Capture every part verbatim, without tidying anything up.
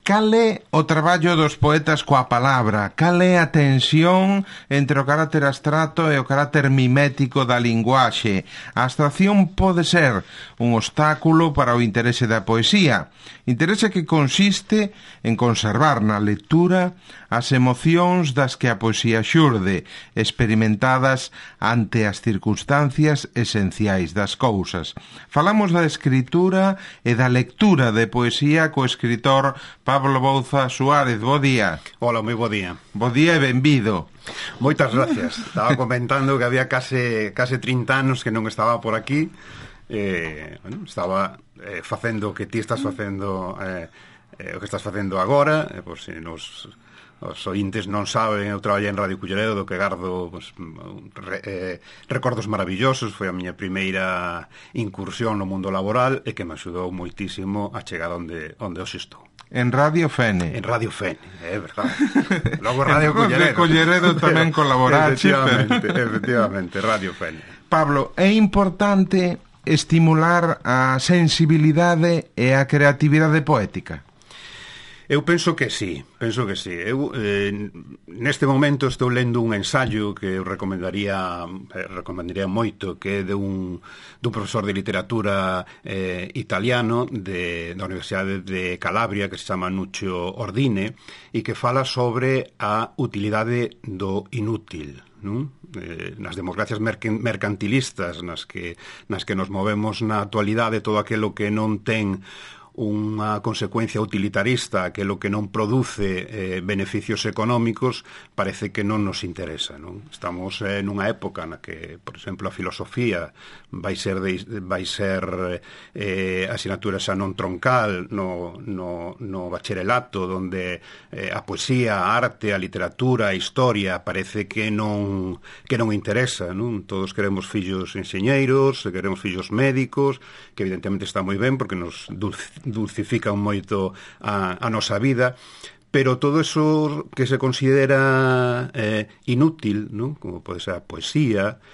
Cal é o traballo dos poetas coa palabra? Cal é a tensión entre o carácter abstracto e o carácter mimético da linguaxe? A abstracción pode ser un obstáculo para o interese da poesía, interese que consiste en conservar na lectura as emocións das que a poesía xurde, experimentadas ante as circunstancias esenciais das cousas. Falamos da escritura e da lectura de poesía co escritor Pablo Bouza Suárez. Bo día. Hola, moi bo día. Bo día e benvido. Moitas gracias. Estaba comentando que había case, case trinta anos que non estaba por aquí. Eh, bueno, estaba eh, facendo o que ti estás facendo, eh, eh, o que estás facendo agora, eh, por se nos... os ointes non saben, eu traballei en Radio Culleredo, do que gardo pues, re, eh, recordos maravillosos. Foi a miña primeira incursión no mundo laboral e que me axudou moitísimo a chegar onde, onde hoxe estou. En Radio Fene. En Radio Fene, é verdade. Logo Radio Culleredo. Culleredo tamén colaborache. Efectivamente, efectivamente, Radio Fene. Pablo, é importante estimular a sensibilidade e a creatividade poética? Eu penso que sí, penso que sí. Eu eh, neste momento estou lendo un ensaio que eu recomendaría eh, recomendaría moito, que é de un, dun profesor de literatura eh, italiano de, da Universidade de Calabria, que se chama Nuccio Ordine, e que fala sobre a utilidade do inútil, non? Eh, nas democracias mercantilistas nas que, nas que nos movemos na actualidade, todo aquilo que non ten unha consecuencia utilitarista, aquilo que non produce eh, beneficios económicos, parece que non nos interesa, non? Estamos eh, nunha época na que, por exemplo, a filosofía vai ser de, vai ser eh, asignatura xa non troncal no, no, no bacharelato, donde eh, a poesía, a arte, a literatura, a historia parece que non que non interesa, non? Todos queremos fillos enxeñeiros, queremos fillos médicos, que evidentemente está moi ben porque nos dulcifican moito a, a nosa vida, pero todo eso que se considera eh, inútil, ¿no? Como pode ser a poesía,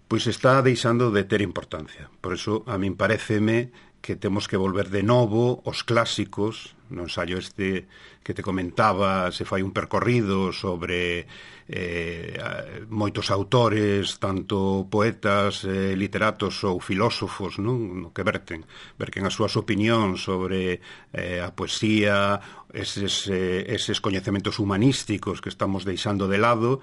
pois está deixando de ter importancia. Por eso a min paréceme que temos que volver de novo aos clásicos. No ensaio este que te comentaba se fai un percorrido sobre eh, moitos autores, tanto poetas, eh, literatos ou filósofos, non? No que verten, verten as súas opinións sobre eh, a poesía, eses, eh, eses coñecementos humanísticos que estamos deixando de lado,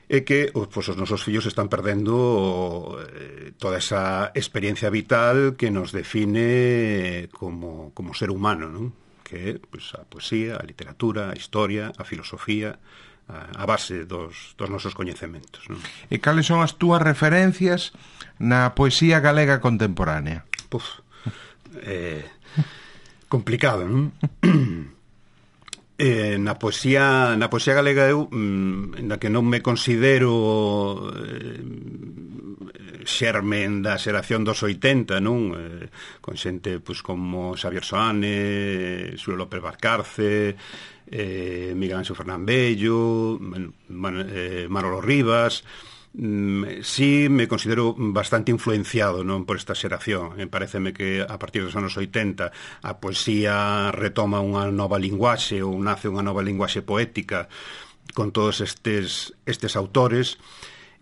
e que pues, os nosos fillos están perdendo eh, toda esa experiencia vital que nos define como, como ser humano, non? Que é pues, a poesía, a literatura, a historia, a filosofía, a, a base dos, dos nosos coñecementos, non? E cales son as túas referencias na poesía galega contemporánea? Puf, eh, complicado, non? Eh, na poesía na poesía galega eu mm, na que non me considero eh, xermen da xeración dos oitenta, non? Eh, con xente pois, como Xavier Soane, Xulio López Valcarce, eh, Miguel Ángel Fernán Bello, Man, eh, Manolo Rivas. Mm, sí me considero bastante influenciado, non, por esta xeración. Me pareceme que a partir dos anos oitenta a poesía retoma unha nova linguaxe ou nace unha nova linguaxe poética con todos estes, estes autores.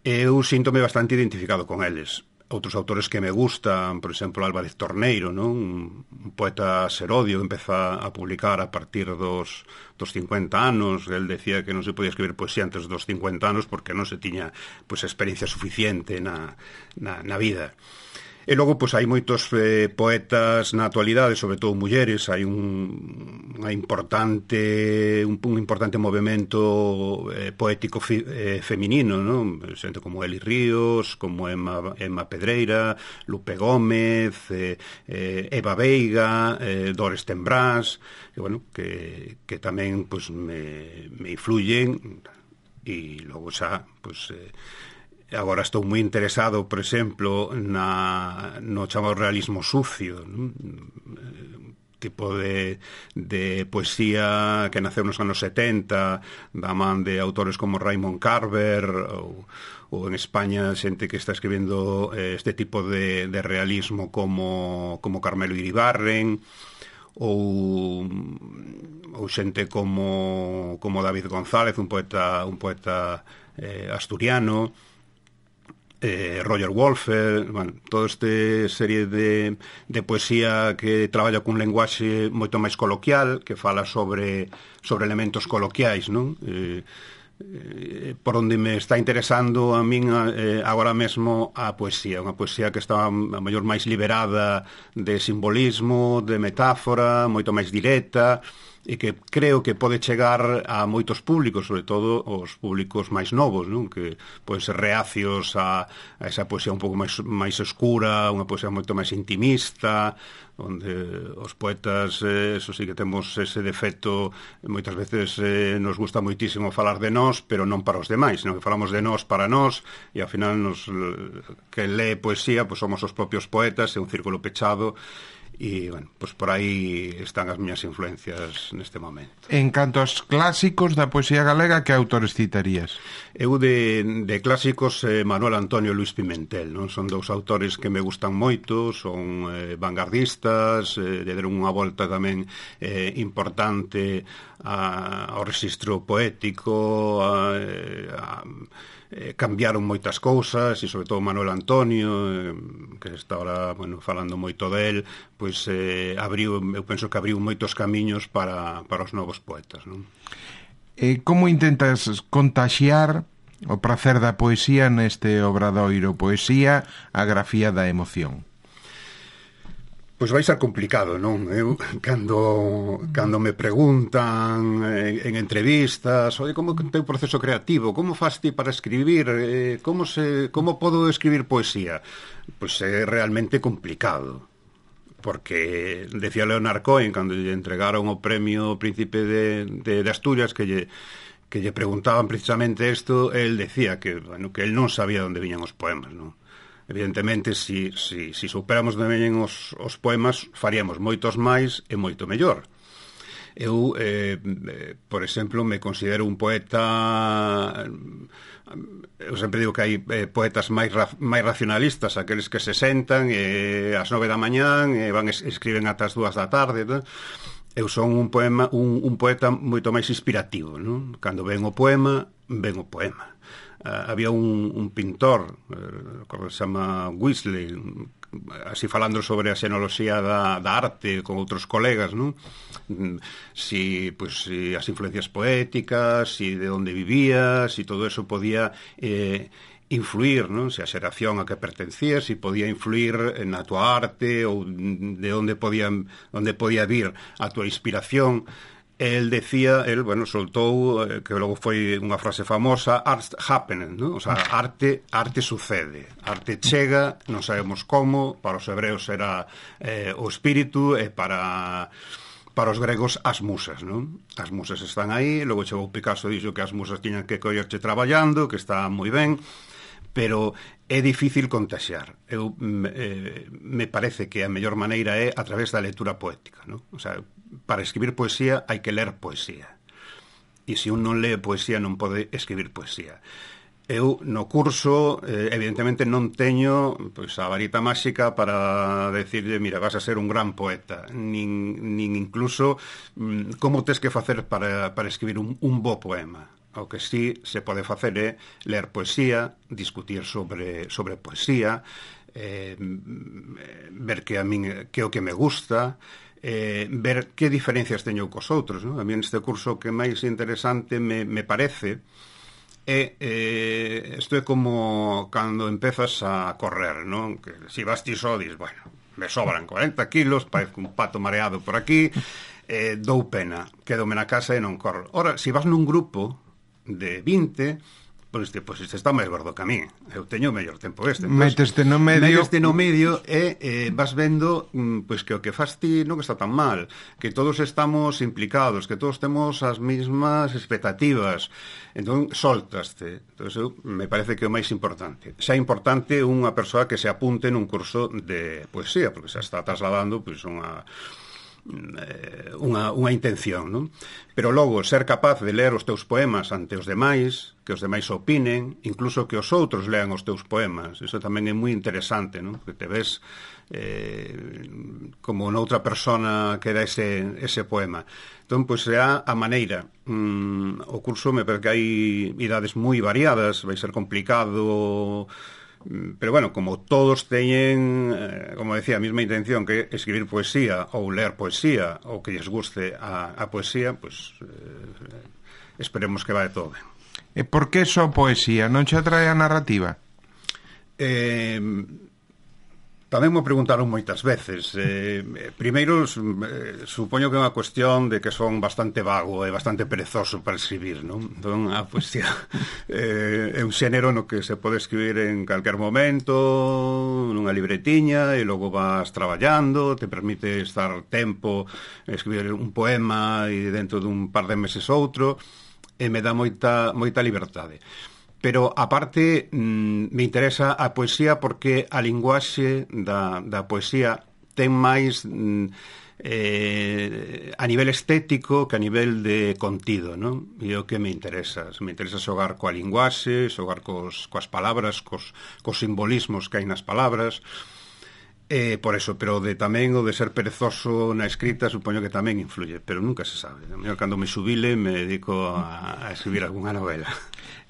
Eu síntome bastante identificado con eles. Outros autores que me gustan, por exemplo, Álvarez Torneiro, non? Un poeta serodio que empeza a publicar a partir dos, dos cincuenta anos. El decía que non se podía escribir poesía antes dos cincuenta anos porque non se tiña pues, experiencia suficiente na, na, na vida. E logo, pois, hai moitos eh, poetas na actualidade, sobre todo mulleres. Hai un, unha importante, un, un importante movimento eh, poético fi, eh, feminino, non? Xente como Eli Ríos, como Emma, Emma Pedreira, Lupe Gómez, eh, eh, Eva Veiga, eh, Dores Tembrás, que, bueno, que, que tamén pois, me, me influyen. E logo xa, pois... Eh, agora estou moi interesado, por exemplo, na, no chamado realismo sucio, non? Tipo de, de poesía que naceu nos anos setenta, da man de autores como Raymond Carver, ou, ou en España xente que está escribindo eh, este tipo de, de realismo como, como Carmelo Iribarren, ou ou xente como como David González, un poeta un poeta eh, asturiano, eh, Roger Wolfer, bueno, toda esta serie de, de poesía que traballa cun lenguaxe moito máis coloquial, que fala sobre sobre elementos coloquiais, non? Eh, eh, por onde me está interesando a min eh, agora mesmo a poesía, unha poesía que está a mellor máis liberada de simbolismo, de metáfora, moito máis directa, e que creo que pode chegar a moitos públicos, sobre todo os públicos máis novos, non? Que poden ser reacios a, a esa poesía un pouco máis, máis escura, unha poesía moito máis intimista, onde os poetas, eh, eso sí que temos ese defecto, moitas veces eh, nos gusta moitísimo falar de nós, pero non para os demais, senón que falamos de nós para nós, e ao final nos, que lee poesía, pois somos os propios poetas, é un círculo pechado. E, bueno, pois por aí están as miñas influencias neste momento. En canto aos clásicos da poesía galega, que autores citarías? Eu de, de clásicos, eh, Manuel Antonio e Luis Pimentel, non? Son dous autores que me gustan moito, son eh, vanguardistas, eh, lle deron unha volta tamén eh, importante a, ao rexistro poético, a, a Eh, cambiaron moitas cousas, e sobre todo Manuel Antonio, eh, que está ahora, bueno, falando moito del, pois eh, abriu, eu penso que abriu moitos camiños para, para os novos poetas, non? E como intentas contaxiar o prazer da poesía neste obradoiro? Poesía, a grafía da emoción. Pois vai ser complicado, non? Eu, cando, cando me preguntan en, en entrevistas, oi, como é o teu proceso creativo? Como fas ti para escribir? Eh, como, se, como podo escribir poesía? Pois é realmente complicado. Porque, decía Leonard Cohen, cando lle entregaron o premio Príncipe de, de, de Asturias, que lle, que lle preguntaban precisamente isto, el decía que, bueno, que el non sabía onde viñan os poemas, non? Evidentemente, si, si, si superamos de veñen os, os poemas, faríamos moitos máis e moito mellor. Eu, eh, eh, por exemplo, me considero un poeta... Eu sempre digo que hai eh, poetas máis, ra, máis racionalistas, aqueles que se sentan eh, ás nove da mañán e van es, escriben ata as dúas da tarde, non? Eu son un poema un, un poeta moito máis inspirativo, non? Cando ven o poema, ven o poema. Uh, había un, un pintor, uh, que se chama Weasley, así falando sobre a xenoloxía da, da arte con outros colegas, non? Si, pues, si as influencias poéticas, si de onde vivía, si todo eso podía eh, influir, non? Se a xeración a que pertencía, si podía influir na tua arte ou de onde podía, onde podía vir a tua inspiración. El decía, el, bueno, soltou, eh, que logo foi unha frase famosa, art happening, ¿no? O sea, arte, arte sucede, arte chega, non sabemos como, para os hebreos era eh, o espírito, e para para os gregos as musas, non? As musas están aí, logo chegou Picasso e dixo que as musas tiñan que collerche traballando, que está moi ben, pero é difícil contaxiar. Eu, eh, me parece que a mellor maneira é a través da lectura poética, non? O sea, para escribir poesía hai que ler poesía. E se un non lee poesía non pode escribir poesía. Eu no curso, eh, evidentemente non teño pois, a varita máxica para decirle, mira, vas a ser un gran poeta, nin, nin incluso mm, como tes que facer para, para escribir un, un bo poema. O que sí se pode facer é ler poesía, discutir sobre, sobre poesía, eh, ver que a min que o que me gusta, eh, ver que diferencias teño cos outros, non? A mí neste curso que máis interesante me, me parece é, eh, isto é como cando empezas a correr, non? Que si vas ti só, dis, bueno, me sobran cuarenta kilos, parece un pato mareado por aquí, eh, dou pena, quedome na casa e non corro. Ora, si vas nun grupo de vinte, pois este, pois este está máis gordo que a mí, eu teño o mellor tempo este. Meteste no medio, meteste no medio e eh, vas vendo pois que o que faz ti non que está tan mal, que todos estamos implicados, que todos temos as mesmas expectativas, entón soltaste. Entón, eu, me parece que é o máis importante. Xa é importante unha persoa que se apunte nun curso de poesía, porque xa está trasladando pois unha unha, unha intención, non? Pero logo ser capaz de ler os teus poemas ante os demais, que os demais opinen, incluso que os outros lean os teus poemas, iso tamén é moi interesante, non? Que te ves eh, como noutra persona que dá ese, ese poema. Entón, pois será a maneira. Mm, o curso me parece que hai idades moi variadas, vai ser complicado. Pero bueno, como todos teñen, eh, como decía, a mesma intención que escribir poesía ou ler poesía ou que lles guste a, a poesía, pues eh, esperemos que vai todo ben. E por que só poesía? Non che atrae a narrativa? Eh, tamén me preguntaron moitas veces. Eh, primeiro, eh, supoño que é unha cuestión de que son bastante vago e bastante perezoso para escribir, non? Entón, a poesía eh, é un xénero no que se pode escribir en calquer momento, nunha libretiña, e logo vas traballando, te permite estar tempo, escribir un poema e dentro dun par de meses outro, e me dá moita, moita liberdade. Pero, aparte, mm, me interesa a poesía porque a linguaxe da, da poesía ten máis mm, eh, a nivel estético que a nivel de contido, non? E o que me interesa. Me interesa xogar coa linguaxe, xogar cos, coas palabras, cos, cos simbolismos que hai nas palabras. Eh, por eso, pero de tamén o de ser perezoso na escrita supoño que tamén influye, pero nunca se sabe. A mí, cando me xubile, me dedico a, a escribir algunha novela.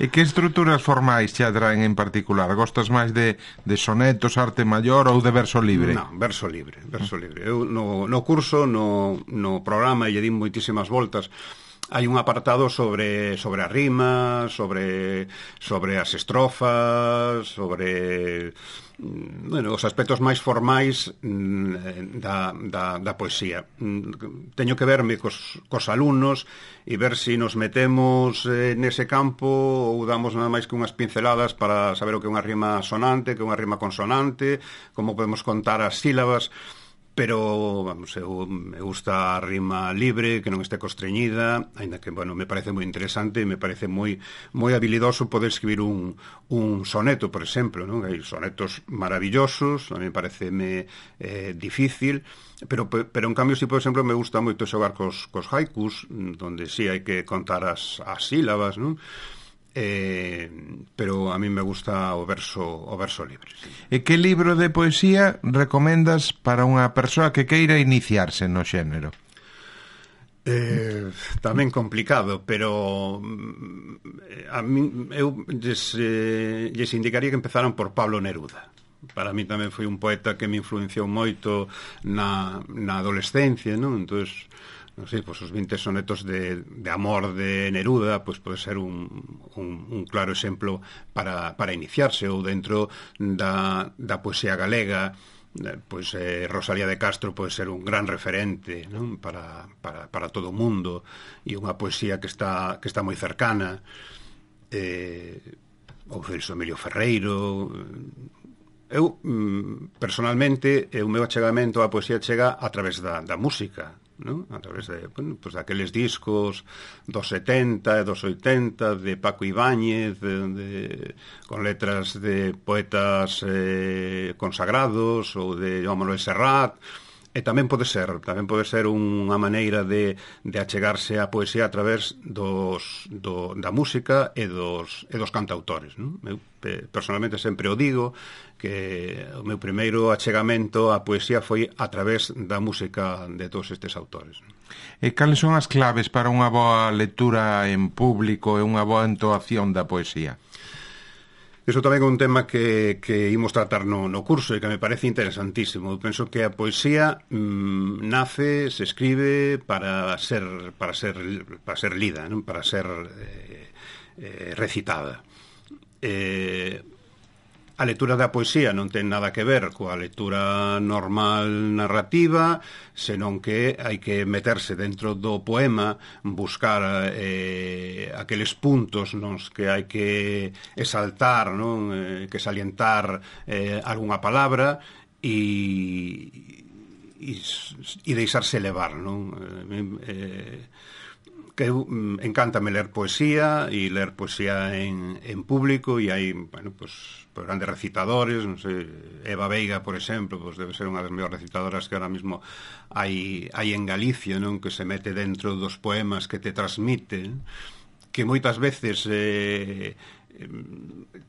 E que estruturas formais te atraen en particular? Gostas máis de, de sonetos, arte maior ou de verso libre? Non, verso libre, verso libre. Eu no, no curso, no, no programa, e lle din moitísimas voltas, hai un apartado sobre sobre a rima, sobre sobre as estrofas, sobre bueno, os aspectos máis formais da, da, da poesía. Teño que verme cos, cos alumnos e ver se si nos metemos eh, nese campo ou damos nada máis que unhas pinceladas para saber o que é unha rima sonante, que é unha rima consonante, como podemos contar as sílabas. Pero, vamos, eu, me gusta a rima libre, que non este constreñida, aínda que, bueno, me parece moi interesante e me parece moi moi habilidoso poder escribir un, un soneto, por exemplo, non? Hai sonetos maravillosos, a mí parece me, eh, difícil, pero, pero en cambio, si, por exemplo, me gusta moito xogar cos, cos haikus, donde sí hai que contar as, as sílabas, non? Eh, pero a mí me gusta o verso o verso libre, sí. E que libro de poesía recomendas para unha persoa que queira iniciarse no xénero? Eh, tamén complicado, pero a mí eu lles, eh, lles indicaría que empezaran por Pablo Neruda. Para mí tamén foi un poeta que me influenciou moito na, na adolescencia, non? Entonces, non sei, pois os vinte sonetos de, de amor de Neruda pois pode ser un, un, un claro exemplo para, para iniciarse, ou dentro da, da poesía galega, pois eh, Rosalía de Castro pode ser un gran referente, non? Para, para, para todo o mundo, e unha poesía que está, que está moi cercana, eh, ou Celso Emilio Ferreiro. Eu, personalmente, o meu achegamento á poesía chega a través da, da música, ¿no? A través de, bueno, pues, daqueles discos dos setenta e dos oitenta de Paco Ibáñez, de, de, con letras de poetas eh, consagrados, ou de Joan Manuel Serrat. E tamén pode ser, tamén pode ser unha maneira de, de achegarse á poesía a través dos, do, da música e dos, e dos cantautores, non? Eu personalmente sempre o digo, que o meu primeiro achegamento á poesía foi a través da música de todos estes autores. E cales son as claves para unha boa lectura en público e unha boa entoación da poesía? Iso tamén é un tema que, que imos tratar no, no curso e que me parece interesantísimo. Eu penso que a poesía mmm, nace, se escribe para ser para ser, para ser lida, non? Para ser eh, eh, recitada. Eh, a lectura da poesía non ten nada que ver coa lectura normal narrativa, senón que hai que meterse dentro do poema, buscar eh, aqueles puntos nos que hai que exaltar, non? Eh, que salientar eh, algunha palabra e, e, e deixarse levar, non? Eh, eh, que eu, mm, encántame ler poesía e ler poesía en, en público, e hai, bueno, pues, pues grandes recitadores, non sei, Eva Veiga, por exemplo, pues debe ser unha das mellores recitadoras que ahora mismo hai, hai en Galicia, non, que se mete dentro dos poemas que te transmite, que moitas veces eh,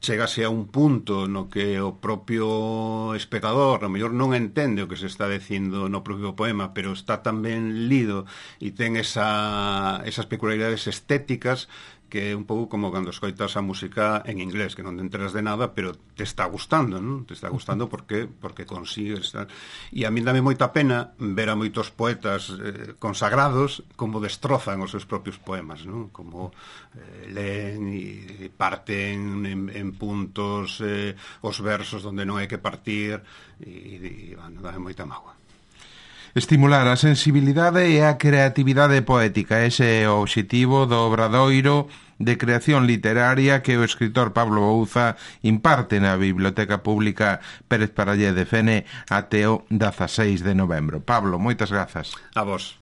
chegase a un punto no que o propio espectador a mellor non entende o que se está dicindo no propio poema, pero está tan ben lido e ten esa, esas peculiaridades estéticas que é un pouco como cando escoitas a música en inglés, que non te enteras de nada, pero te está gustando, non? Te está gustando porque porque consigues estar... E a mí dame moita pena ver a moitos poetas eh, consagrados como destrozan os seus propios poemas, non? Como eh, leen e parten en, en puntos eh, os versos onde non hai que partir, e, e bueno, dame moita mágoa. Estimular a sensibilidade e a creatividade poética. Ese é o obxectivo do obradoiro de creación literaria que o escritor Pablo Bouza imparte na Biblioteca Pública Pérez Parallé de Fene até o dezaseis de novembro. Pablo, moitas grazas. A vos.